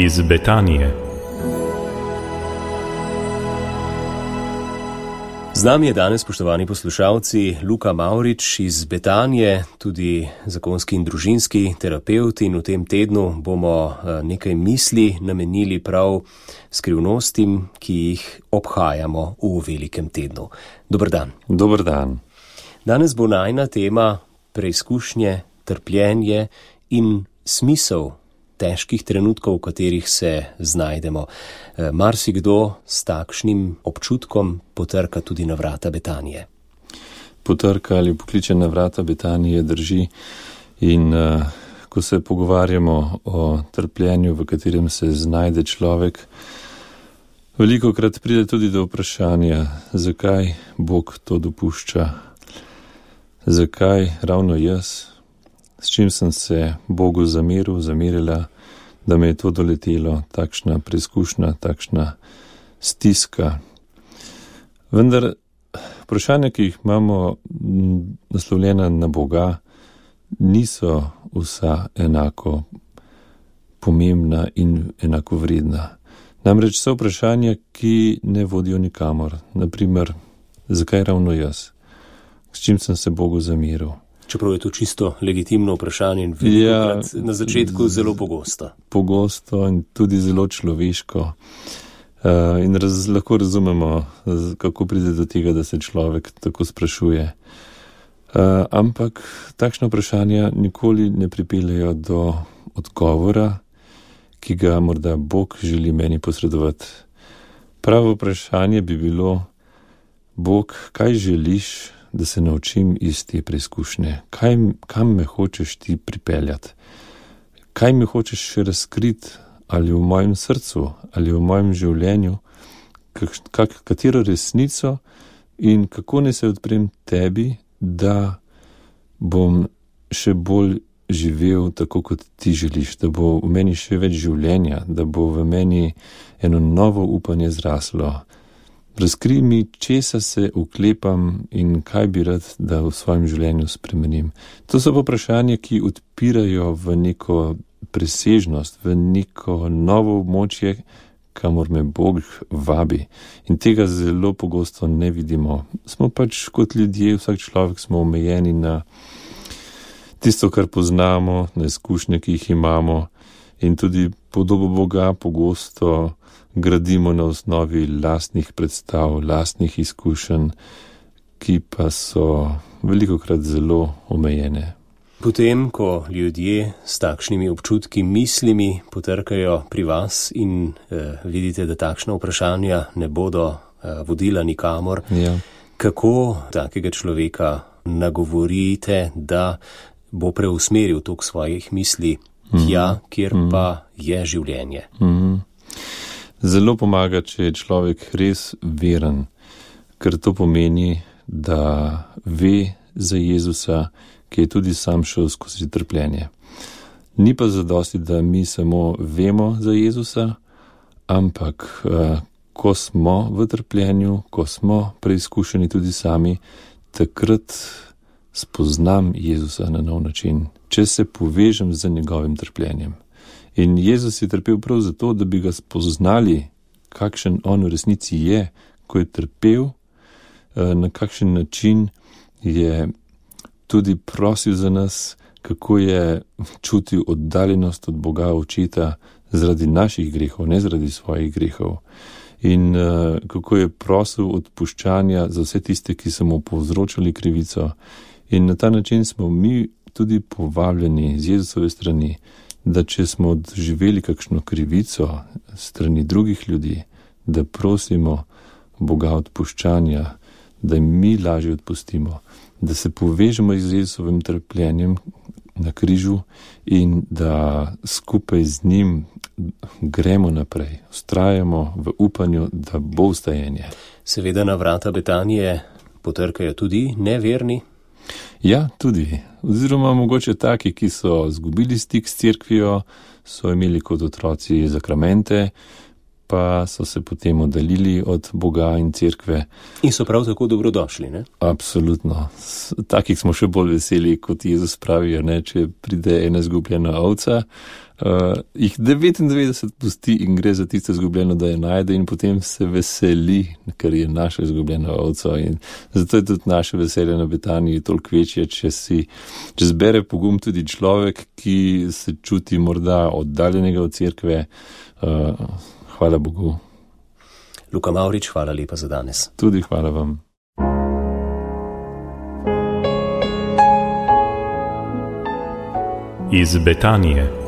iz Betanije. Z nami je danes, spoštovani poslušalci, Luka Mavrič iz Betanije, tudi zakonski in družinski terapevt, in v tem tednu bomo nekaj misli namenili prav skrivnostim, ki jih obhajamo v velikem tednu. Dober dan. Dober dan. Danes bo najina tema preizkušnje, trpljenje in smisel težkih trenutkov, v katerih se znajdemo. Marsikdo s takšnim občutkom potrka tudi na vrata Betanije. Potrka ali pokliče na vrata Betanije, drži. In ko se pogovarjamo o trpljenju, v katerem se znajde človek, velikokrat pride tudi do vprašanja, zakaj Bog to dopušča, zakaj ravno jaz, s čim sem se Bogu zamerila, da me je to doletelo, takšna preizkušnja, takšna stiska. Vendar vprašanja, ki jih imamo naslovljena na Boga, niso vsa enako pomembna in enako vredna. Namreč so vprašanja, ki ne vodijo nikamor. Naprimer, zakaj ravno jaz? S čim sem se Bogu zameril? Čeprav je to čisto legitimno vprašanje in velikokrat na začetku zelo pogosto. Pogosto in tudi zelo človeško. In lahko razumemo, kako pride do tega, da se človek tako sprašuje. Ampak takšna vprašanja nikoli ne pripeljejo do odgovora, ki ga morda Bog želi meni posredovati. Pravo vprašanje bi bilo: Bog, kaj želiš, da se naučim iz te preizkušnje? Kam me hočeš ti pripeljati? Kaj me hočeš še razkriti, ali v mojem srcu, ali v mojem življenju? Katero resnico in kako ne se odprem tebi, da bom še bolj živel tako, kot ti želiš, da bo v meni še več življenja, da bo v meni eno novo upanje zraslo. Razkrij mi, česa se uklepam in kaj bi rad, da v svojem življenju spremenim. To so pa vprašanja, ki odpirajo v neko presežnost, v neko novo območje, kamor me Bog vabi. In tega zelo pogosto ne vidimo. Smo pač kot ljudje, vsak človek smo omejeni na tisto, kar poznamo, na izkušnje, ki jih imamo, in tudi podobo Boga pogosto gradimo na osnovi lastnih predstav, lastnih izkušenj, ki pa so velikokrat zelo omejene. Potem, ko ljudje s takšnimi občutki, mislimi potrkajo pri vas in vidite, da takšna vprašanja ne bodo vodila nikamor, kako takega človeka nagovorite, da bo preusmeril tok svojih misli tja, kjer pa je življenje? Zelo pomaga, če je človek res veren, ker to pomeni, da ve za Jezusa, ki je tudi sam šel skozi trpljenje. Ni pa zadosti, da mi samo vemo za Jezusa, ampak ko smo v trpljenju, ko smo preizkušeni tudi sami, takrat spoznam Jezusa na nov način, če se povežem z njegovim trpljenjem. In Jezus je trpel prav zato, da bi ga spoznali, kakšen on v resnici je, ko je trpel, na kakšen način je tudi prosil za nas, kako je čutil oddaljenost od Boga Očeta zaradi naših grehov, ne zaradi svojih grehov. In kako je prosil odpuščanja za vse tiste, ki so mu povzročali krivico. In na ta način smo mi tudi povabljeni z Jezusove strani, da če smo doživeli kakšno krivico strani drugih ljudi, da prosimo Boga odpuščanja, da jim mi lažje odpustimo, da se povežemo z Jezusovim trpljenjem na križu in da skupaj z njim gremo naprej, vztrajamo v upanju, da bo vstajenje. Seveda na vrata Betanije potrkajo tudi neverni. Ja, tudi. Oziroma mogoče taki, ki so izgubili stik s cerkvijo, so imeli kot otroci zakramente, pa so se potem oddaljili od Boga in cerkve. In so prav tako dobrodošli, ne? Absolutno. Takih smo še bolj veseli, kot Jezus pravijo, ne? Če pride ena izgubljena ovca, jih 99 pusti in gre za tisto izgubljeno, da je najde in potem se veseli, ker je naša izgubljena ovca. In zato je tudi naše veselje na Betaniji toliko večje, če zbere pogum tudi človek, ki se čuti morda oddaljenega od cerkve. Hvala Bogu. Luka Mavrič, hvala lepa za danes. Tudi hvala vam. Iz Betanije.